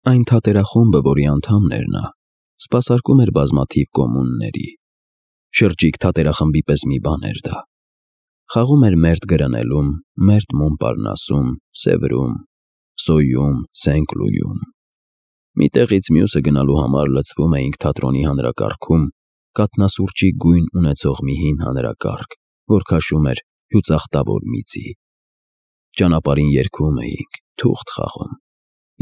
Այն թատերախումբը, որի անդամն էր նա, սպասարկում էր բազմաթիվ կոմունների։ Շրջիկ թատերախմբի պես մի բան էր դա։ Խաղում էր Մերթ Գրնելում, Մերթ Մոնպարնասում, Սևրում, Սոյում, Սենկլույում։ Մի տեղից մյուսը գնալու համար լցվում էինք թատրոնի հանրակարգում, կաթնասուրճի գույն ունեցող մի հին հանրակարգ, որ քաշում էր հյուծախտավոր միծի։ Ճանապարհին երգում էինք, թուղթ խաղում։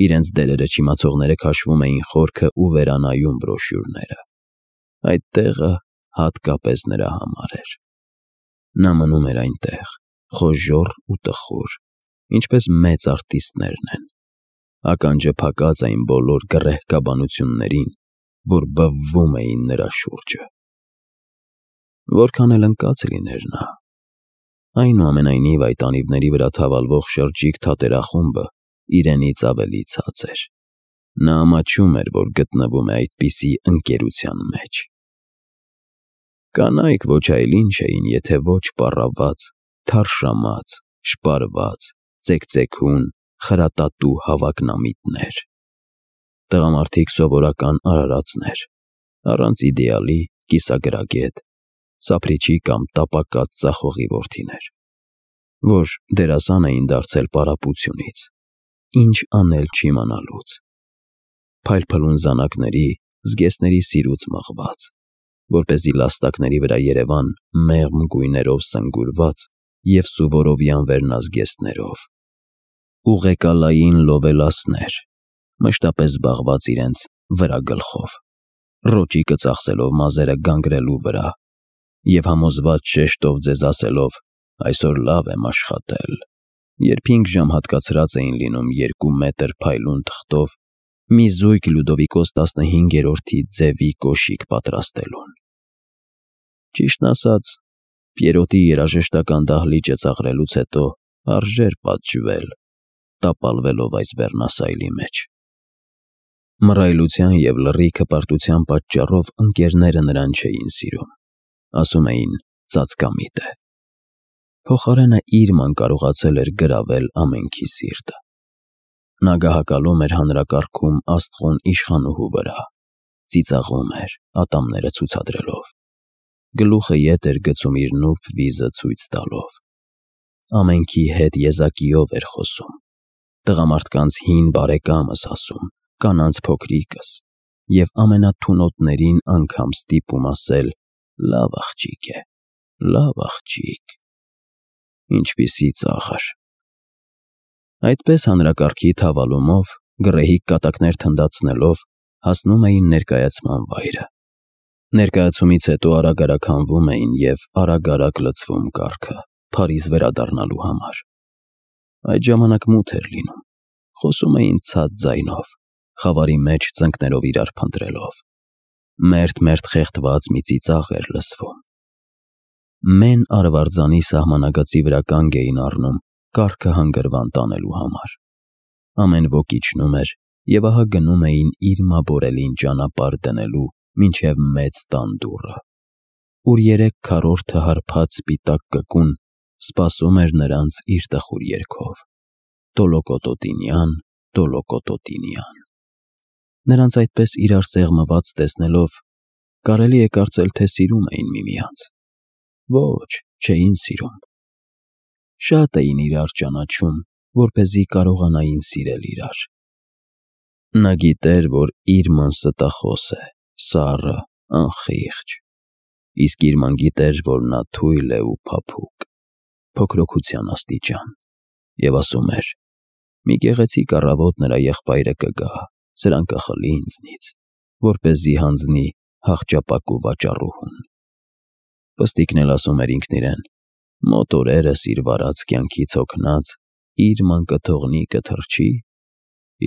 Իրենց դերերը չիմացողները քաշվում էին խորքը ու վերանայում բրոշյուրները։ Այդ տեղը հատկապես նրա համար էր։ Նա մնում էր այնտեղ, խոժոռ ու տխուր, ինչպես մեծ արտիստներն են։ Ականջը փակած այն բոլոր գռեհկաբանություններին, որ բվվում էին նրա շուրջը։ Որքան էլ ընկած լիներ նա, այնուամենայնիվ այդ անիվների վրա թավալվող շրջիկ թատերախումբը իրենից ավելի ցած էր։ Նա ամաչում էր, որ գտնվում է այդպիսի ընկերության մեջ։ Կանայք ոչ այլ ինչ էին, եթե ոչ պառաված, թարշամած, շպարված, ծեքծեքուն, խրատատու հավակնամիտներ։ Տղամարդիկ սովորական արարածներ, առանց իդեալի, կիսագրագետ, սափրիչի կամ տապակած ծախողի որդիներ, որ դերասան էին դարձել պարապությունից, ինչ անել չիմանալուց, փայլփլուն զանակների, զգեստների սիրուց մղված, որպեսզի լաստակների վրա երևան մեղմ գույներով սնգուրված և սուվորովյան վերնազգեստներով, ուղեկալային լովելասներ, մշտապես զբաղված իրենց վրագլխով, ռոճիկը ծախսելով մազերը գանգրելու վրա և համոզված շեշտով ձեզ ասելով «այսօր լավ եմ աշխատել», երբ 5 ժամ հատկացրած էին լինում 2 մետր փայլուն թղթով մի զույգ Լյուդովիկոս 15-րդի ձևի կոշիկ պատրաստելուն։ Ճիշտն ասած, Պիերոտի երաժշտական դահլիճը ծաղրելուց հետո արժեր պատժվել, տապալվելով այս բեռնասայլի մեջ։ Մռայլության և լռի հպարտության պատճառով ընկերները նրան չէին սիրում, ասում էին ծածկամիտ է։ Փոխարենը իր ման կարողացել էր գրավել ամենքի սիրտը։ Նա գահակալում էր հանրակարգում աստղուն իշխանուհու վրա, ծիծաղում էր, ատամները ցուցադրելով, գլուխը ետ էր գցում իր նուրբ վիզը ցույց տալով։ Ամենքի հետ եզակիով էր խոսում, տղամարդկանց հին բարեկամս ասում, կանանց փոքրիկս, և ամենաթունոտներին անգամ ստիպում ասել «լավ աղջիկ է, լավ աղջիկ»։ Ինչպիսի ծաղր։ Այդպես հանրակարգի թավալումով, գռեհիկ կատակներ թնդացնելով, հասնում էին ներկայացման վայրը։ Ներկայացումից հետո արագ-արագ հանվում էին և արագ-արագ լցվում կառքը, Փարիզ վերադառնալու համար։ Այդ ժամանակ մութ էր լինում, խոսում էին ցած ձայնով, խավարի մեջ ծնկներով իրար փնտրելով։ Մերթ խեղդված մի ծիծաղ էր լսվում։ Մեն արվարձանի սահմանագծի վրա կանգ էին առնում կառքը հանգրվան տանելու համար։ Ամեն ոք իջնում էր և ահա գնում էին իր մաբորելին ճանապարհ դնելու մինչև մեծ տան դուռը, ուր 3 քառորդը հարբած սպիտակ կկուն սպասում էր նրանց իր տխուր երգով. Տոլոկոտոտինյան, տոլոկոտոտինյան։ Նրանց այդպես իրար սեղմված տեսնելով, կարելի է կարծել, թե սիրում էին միմյանց։ Ոչ, չէին սիրում։ Շատ էին իրար ճանաչում, որպեսզի կարողանային սիրել իրար։ Նա գիտեր, որ իր ման ստախոս է, սառը, անխիղճ, իսկ իր ման գիտեր, որ նա թույլ է ու փափուկ, փոքրոքության աստիճան, և ասում էր. «Մի գեղեցիկ առավոտ նրա եղբայրը կգա, սրան կխլի ինձնից, որպեսզի հանձնի հախճապակու վաճառուհուն»։ Պստիկն էլ ասում էր ինքն իրեն. «Մոտ օրերս իր վարած կյանքից հոգնած, իր ման կթողնի կթռչի,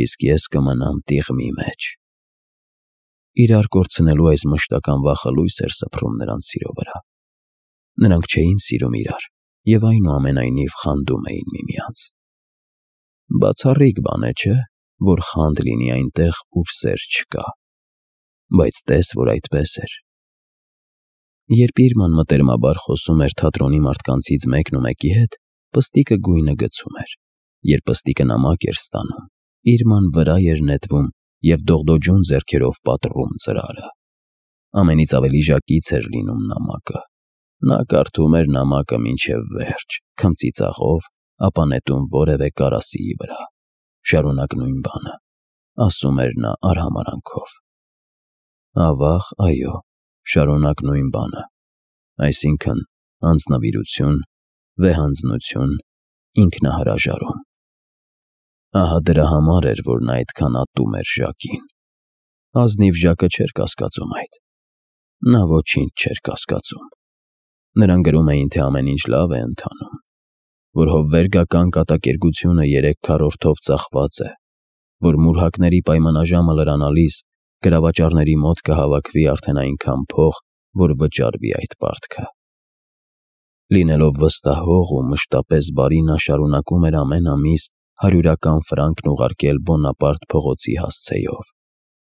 իսկ ես կմնամ տիղմի մեջ»։ Իրար կորցնելու այս մշտական վախը լույս էր սփռում նրանց սիրո վրա։ Նրանք չէին սիրում իրար և այնուամենայնիվ խանդում էին միմյանց։ Բացառիկ բան է, չէ՞, որ խանդ լինի այնտեղ, ուր սեր չկա, բայց տես, որ այդպես էր։ Երբ իր ման մտերմաբար խոսում էր թատրոնի մարդկանցից մեկն ու մեկի հետ, պստիկը գույնը գցում էր։ Երբ պստիկը նամակ էր ստանում, իր ման վրա էր նետվում և դողդոջուն ձեռքերով պատռում ծրարը։ Ամենից ավելի ժակից էր լինում նամակը։ Նա կարդում էր նամակը մինչև վերջ, քմծիծաղով, ապա նետում որևէ կարասիի վրա։ Շարունակ նույն բանը, ասում էր նա արհամարանքով։ Ավաղ, այո, շարունակ նույն բանը, այսինքն անձնվիրություն, վեհանձնություն, ինքնահրաժարում։ Ահա դրա համար էր, որ նա այդքան ատում էր Ժակին։ Ազնիվ Ժակը չէր կասկածում այդ։ Նա ոչինչ չէր կասկածում։ Նրան գրում էին, թե ամեն ինչ լավ է ընթանում, որ հովվերգական կատակերգությունը 3 քառորդով ծախված է, որ մուրհակների պայմանաժամը լրանալիս գրավաճառների մոտ կհավաքվի արդեն այնքան փող, որ վճարվի այդ պարտքը։ Լինելով վստահող ու մշտապես բարի, նա շարունակում էր ամեն ամիս 100 ֆրանկն ուղարկել Բոնապարտ փողոցի հասցեով,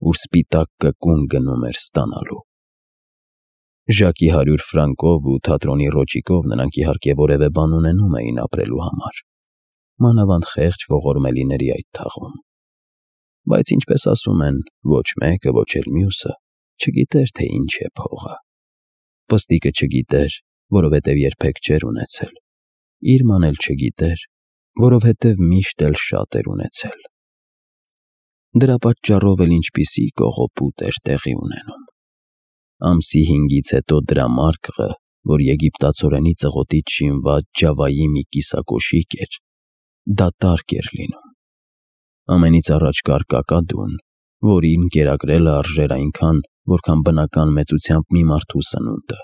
ուր սպիտակ կկուն գնում էր ստանալու։ Ժակի 100 ֆրանկով ու թատրոնի ռոճիկով նրանք իհարկե որևէ բան ունենում էին ապրելու համար, մանավանդ խեղճ ողորմելիների այդ թաղում։ Բայց ինչպես ասում են, ոչ մեկը, ոչ էլ մյուսը չգիտեր, թե ինչ է փողը։ Պստիկը չգիտեր, որովհետև երբեք չէր ունեցել։ Իրման էլ չգիտեր, որովհետև միշտ էլ շատ էր ունեցել։ Դրա պատճառով էլ ինչպիսի կողոպուտ էր տեղի ունենում։ Ամսի 5-ից հետո դրա մարկղը, որ եգիպտացորենի ծղոտից շինված Ջավայի մի կիսակոշիկ էր, դատարկ էր լինում։ Ամենից առաջ կար կակադուն, որին կերակրելը արժեր այնքան, որքան բնական մեծությամբ մի մարդու սնունդը։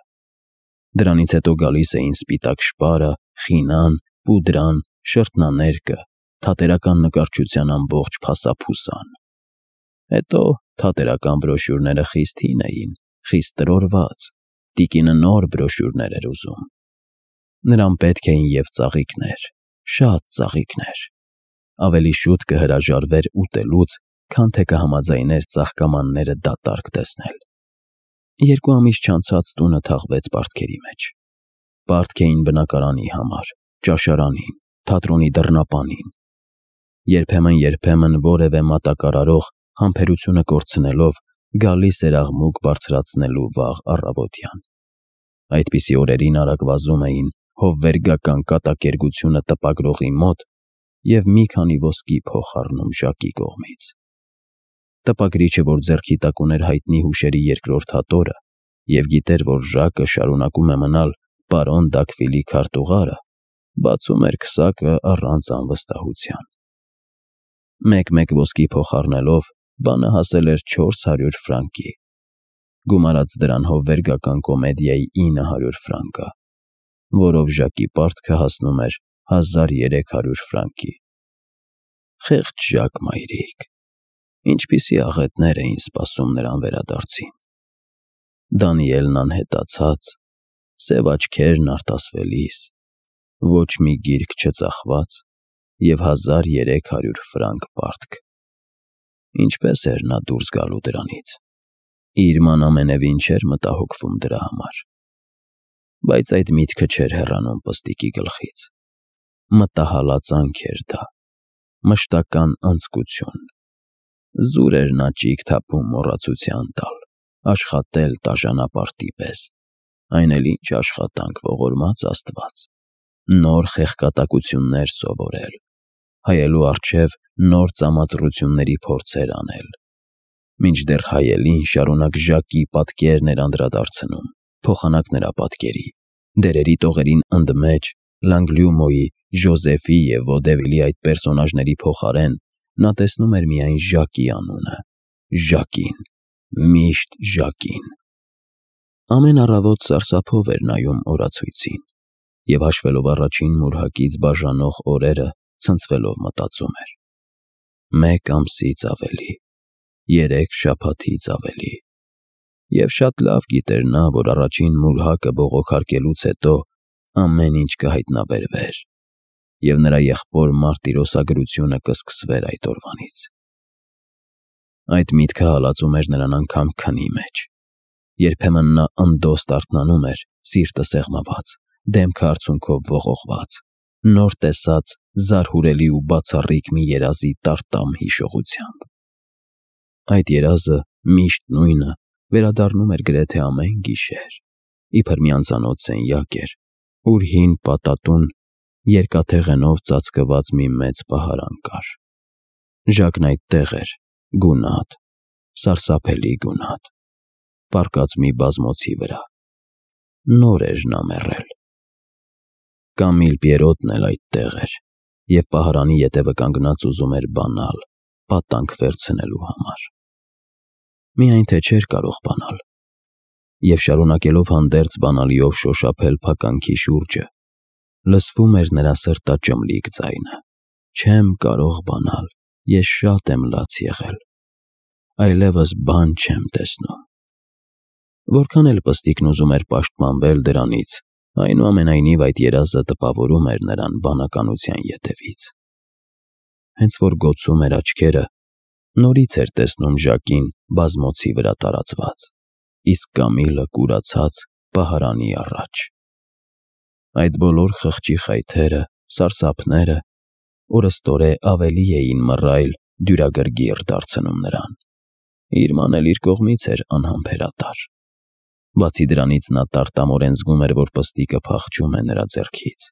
Դրանից հետո գալիս էին սպիտակ շպարը, խինան, պուդրան, շրթնաներկը, թատերական նկարչության ամբողջ փասափուսան։ Հետո թատերական բրոշյուրները խիստ հին էին, խիստ տրորված, տիկինը նոր բրոշյուրներ էր ուզում։ Նրան պետք էին և ծաղիկներ, շատ ծաղիկներ։ Ավելի շուտ կհրաժարվեր ուտելուց, քան թե կհամաձայներ ծաղկամանները դատարկ տեսնել։ 2 ամիս չանցած տունը թաղվեց պարտքերի մեջ։ Պարտք էին բնակարանի համար, ճաշարանին, թատրոնի դռնապանին։ Երբեմն որևէ մատակարարող համբերությունը կորցնելով գալիս էր աղմուկ բարձրացնելու վաղ առավոտյան։ Այդպիսի օրերին արագ վազում էին հովվերգական կատակերգությունը տպագրողի մոտ և մի քանի ոսկի փող առնում Ժակի կողմից։ Տպագրիչը, որ ձեռքի տակ ուներ հայտնի հուշերի 2-րդ հատորը և գիտեր, որ Ժակը շարունակում է մնալ պարոն Դաքվիլի քարտուղարը, բացում էր քսակը առանց անվստահության։ Մեկ-մեկ ոսկի փող առնելով բանը հասել էր 400 ֆրանկի։ Գումարած դրան հովվերգական կոմեդիայի 900 ֆրանկը, որով Ժակի պարտքը հասնում էր 1300 ֆրանկի։ Խեղճ Ժակ մայրիկ, ինչպիսի աղետներ էին սպասում նրան վերադարձին։ Դանիելն անհետացած, սև աչքերն արտասվելիս, ոչ մի գիրք չծախված և 1300 ֆրանկ պարտք։ Ինչպես էր նա դուրս գալու դրանից։ Իրման ամենևին չէր մտահոգվում դրա համար։ Բայց այդ միտքը չէր հեռանում Պստիկի գլխից։ Մտահալածանք էր դա, մշտական անձկություն։ Զուր էր նա ճիգ թափում մոռացության տալ, աշխատել տաժանապարտի պես։ Այն էլ ինչ աշխատանք, ողորմած Աստված։ Նոր խեղկատակություններ սովորել, հայելու առջև նոր ծամածռությունների փորձեր անել։ Մինչդեռ հայելին շարունակ Ժակի պատկերն էր անդրադարձնում, փոխանակ նրա պատկերի, դերերի տողերին ընդմեջ, Լանգլյումոյի, Ժոզեֆի և Ոդևիլի այդ պերսոնաժների փոխարեն նա տեսնում էր միայն Ժակի անունը, Ժակին, միշտ Ժակին։ Ամեն առավոտ սարսափով էր նայում օրացույցին և հաշվելով առաջին մուրհակից բաժանող օրերը, ցնցվելով մտածում էր. 1 ամսից ավելի, 3 շաբաթից ավելի։ Եվ շատ լավ գիտեր նա, որ առաջին մուրհակը բողոքարկելուց հետո ամեն ինչ կհայտնաբերվեր, և նրա եղբոր մարտիրոսագրությունը կսկսվեր այդ օրվանից։ Այդ միտքը հալածում էր նրան անգամ քնի մեջ։ Երբեմն նա ընդոստ արթնանում էր, սիրտը սեղմված, դեմքը արցունքով ողողված, նոր տեսած զարհուրելի ու բացառիկ մի երազի տարտամ հիշողությամբ։ Այդ երազը միշտ նույնը վերադառնում էր գրեթե ամեն գիշեր, իբր մի անծանոթ սենյակ էր, ուր հին պատատուն երկաթեղենով ծածկված մի մեծ պահարան կար։ Ժակն այդտեղ էր, գունատ, սարսափելի գունատ, պառկած մի բազմոցի վրա։ Նոր էր նա մեռել։ Կամիլ Պիերոտն էլ այդտեղ էր, և պահարանի ետևը կանգնած ուզում էր բանալ, պատանք վերցնելու համար։ Միայն թե չէր կարող բանալ։ Եվ շարունակելով հանդերձ բանալիով շոշափել փականքի շուրջը, լսվում էր նրա սրտաճմլիկ ձայնը. «Չեմ կարող բանալ, ես շատ եմ լաց եղել, այլևս բան չեմ տեսնում»։ Որքան էլ Պստիկն ուզում էր պաշտպանվել դրանից, այնուամենայնիվ այդ երազը տպավորում էր նրան բանականության ետևից։ Հենց որ գոցում էր աչքերը, նորից էր տեսնում Ժակին բազմոցի վրա տարածված, իսկ Կամիլը կուրացած պահարանի առաջ։ Այդ բոլոր խղճի խայթերը, սարսափները օրըստօրե ավելի էին մռայլ, դյուրագրգիռ դարձնում նրան։ Իր մանել իր կողմից էր անհամբերատար։ Բացի դրանից նա տարտամորեն զգում էր, որ Պստիկը փախչում է նրա ձեռքից,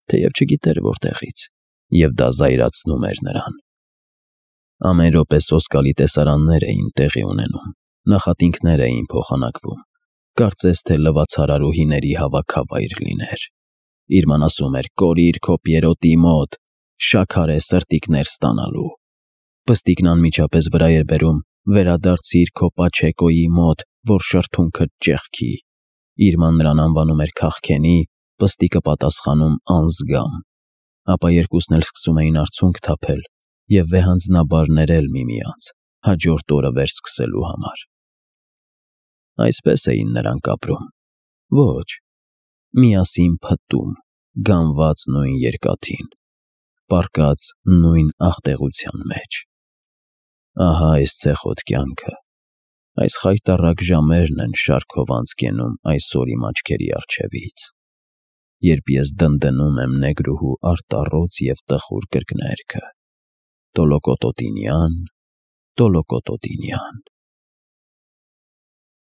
թեև չգիտեր որտեղից, և դա զայրացնում էր նրան։ Ամեն րոպե սոսկալի տեսարաններ էին տեղի ունենում, նախատինքներ էին փոխանակվում, կարծես թե լվացարարուհիների հավաքավայր լիներ։ Իր ման ասում էր. «Կորիր քո Պիերոտի մոտ, շաքարե սրտիկներ ստանալու»։ Պստիկն անմիջապես վրա էր բերում. «Վերադարձիր քո Պաչեկոյի մոտ, որ շրթունքդ ճեղքի»։ Իր ման նրան անվանում էր քաղքենի, Պստիկը պատասխանում անզգամ։ Ապա երկուսն էլ սկսում էին արցունք թափել և վեհանձնաբար ներել միմյանց, հաջորդ օրը վերսկսելու համար։ Այսպես էին նրանք ապրում։ Ոչ, միասին փտտում, գանված նույն երկաթին, պառկած նույն աղտեղության մեջ։ Ահա այս ցեխոտ կյանքը, այս խայտառակ ժամերն են շարքով անց կենում այսօր իմ աչքերի առջևից, երբ ես դնդնում եմ նեգրուհու արտառոց և տխուր կրկներգը. Տոլոկոտոտինյան, Տոլոկոտոտինյան։